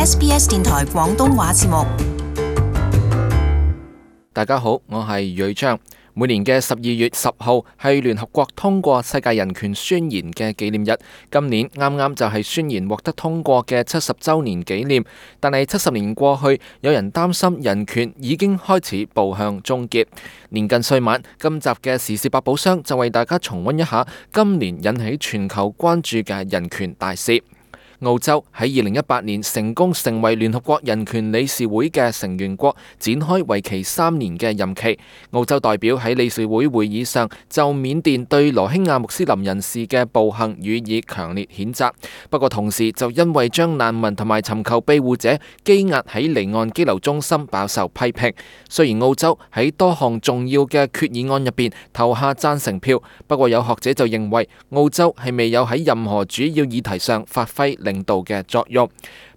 SBS 電台廣東話節目。大家好，我係瑞章。每年嘅12月10號係聯合國通過世界人權宣言嘅紀念日，今年啱啱就係宣言獲得通過嘅70週年紀念。但係70年過去，有人擔心人權已經開始步向終結。年近歲晚，今集嘅時事百寶箱就為大家重溫一下今年引起全球關注嘅人權大事。澳洲喺2018年成功成為聯合國人權理事會嘅成員國，展開為期3年嘅任期。澳洲代表喺理事會會議上就緬甸對羅興亞穆斯林人士嘅暴行予以強烈譴責，不過同時就因為將難民同埋尋求庇護者羈押喺離岸羈留中心飽受批評。雖然澳洲喺多項重要嘅決議案入邊投下贊成票，不過有學者就認為澳洲係未有喺任何主要議題上發揮領導嘅作用。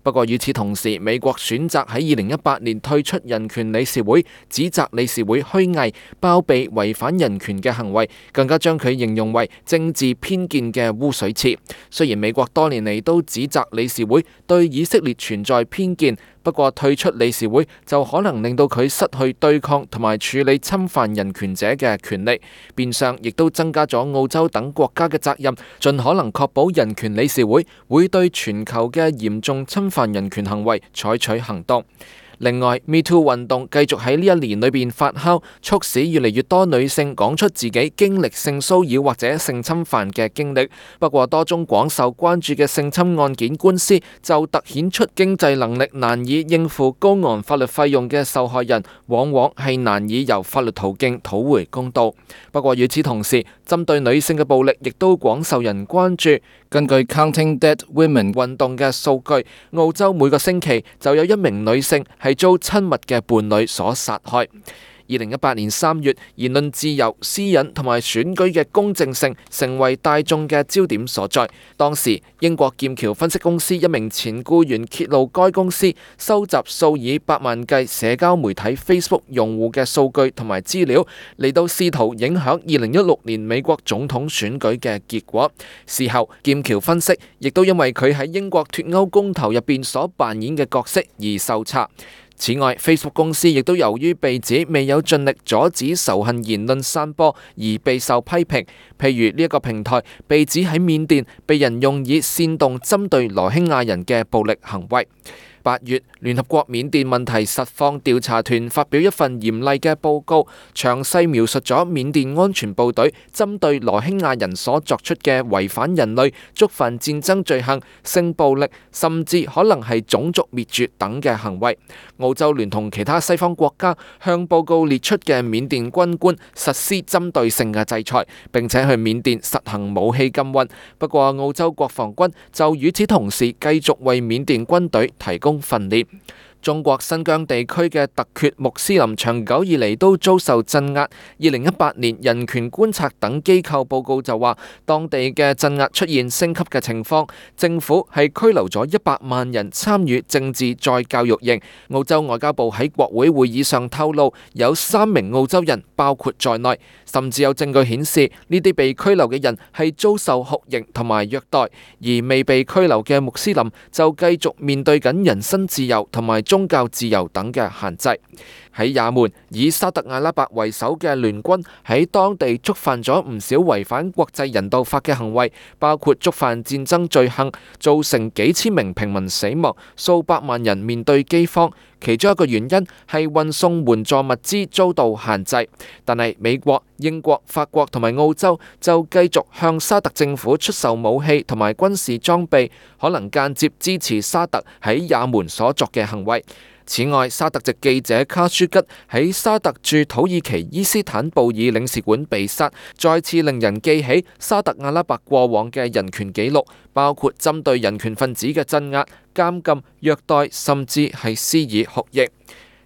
不過與此同時，美國選擇喺2018年退出人權理事會，指責理事會虛偽、包庇違反人權嘅行為，更加將佢形容為政治偏見嘅污水池。雖然美國多年嚟都指責理事會對以色列存在偏見，不過退出理事會就可能令到佢失去對抗同埋處理侵犯人權者嘅權利，變相亦都增加咗澳洲等國家嘅責任，盡可能確保人權理事會會對全球嘅嚴重侵犯人權行為採取行動。另外，Me Too 運動繼續喺呢一年裏邊發酵，促使越嚟越多女性講出自己經歷性騷擾或者性侵犯嘅經歷。不過，多宗廣受關注嘅性侵案件官司就突顯出經濟能力難以應付高昂法律費用嘅受害人，往往係難以由法律途徑討回公道。不過與此同時，針對女性嘅暴力亦都廣受人關注。根據 Counting Dead Women 運動嘅數據，澳洲每個星期就有1名女性係遭親密嘅伴侶所殺害。2018年3月，言論自由、私隱同埋選舉嘅公正性成為大眾嘅焦點所在。當時，英國劍橋分析公司一名前僱員揭露，該公司收集數以百萬計社交媒體 Facebook 用戶嘅數據同埋資料，嚟到試圖影響2016年美國總統選舉嘅結果。事後，劍橋分析亦都因為佢喺英國脫歐公投入邊所扮演嘅角色而受查。此外，Facebook 公司亦都由於被指未有盡力阻止仇恨言論散播而備受批評。譬如呢一個平台被指喺緬甸被人用以煽動針對羅興亞人嘅暴力行為。8月，聯合國緬甸問題實況調查團發表一份嚴厲嘅報告，詳細描述咗緬甸安全部隊針對羅興亞人所作出嘅違反人類、觸犯戰爭罪行、性暴力，甚至可能係種族滅絕等嘅行為。澳洲聯同其他西方國家向報告列出嘅緬甸軍官實施針對性嘅制裁，並且去緬甸實行武器禁運。不過澳洲國防軍就與此同時繼續為緬甸軍隊提供訓練。中國新疆地區嘅突厥穆斯林長久以嚟都遭受鎮壓。2018年人權觀察等機構報告就話，當地嘅鎮壓出現升級嘅情況，政府係拘留咗100萬人參與政治再教育營。澳洲外交部喺國會會議上透露，有3名澳洲人包括在內，甚至有證據顯示呢啲被拘留嘅人係遭受酷刑同埋虐待，而未被拘留嘅穆斯林就繼續面對緊人身自由同埋宗教自由等嘅限制。喺也門，以沙特阿拉伯為首嘅聯軍喺當地觸犯咗唔少違反國際人道法嘅行為，包括觸犯戰爭罪行，造成幾千名平民死亡，數百萬人面對饑荒。其中一個原因係運送援助物資遭到限制。但係美國、英國、法國同埋澳洲就繼續向沙特政府出售武器同埋軍事裝備，可能間接支持沙特喺也門所作嘅行為。此外，沙特籍記者卡舒吉喺沙特駐土耳其伊斯坦布爾領事館被殺，再次令人記起沙特阿拉伯過往嘅人權紀錄，包括針對人權分子嘅鎮壓、監禁、虐待，甚至係施以酷刑。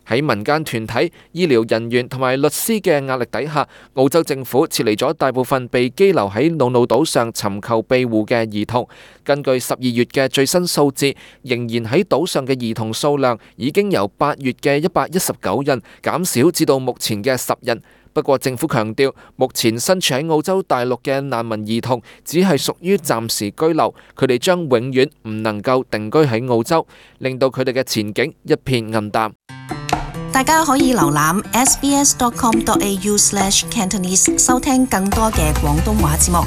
喺民間團體、醫療人員同埋律師嘅壓力底下，澳洲政府撤離咗大部分被羈留喺瑙魯島上尋求庇護嘅兒童。根據12月嘅最新數字，仍然喺島上嘅兒童數量已經由8月嘅119人減少至到目前嘅10人。不過政府強調，目前身處喺澳洲大陸嘅難民兒童只係屬於暫時居留，佢哋將永遠唔能夠定居喺澳洲，令到佢哋嘅前景一片暗淡。大家可以瀏覽 sbs.com.au/Cantonese 收聽更多嘅廣東話節目。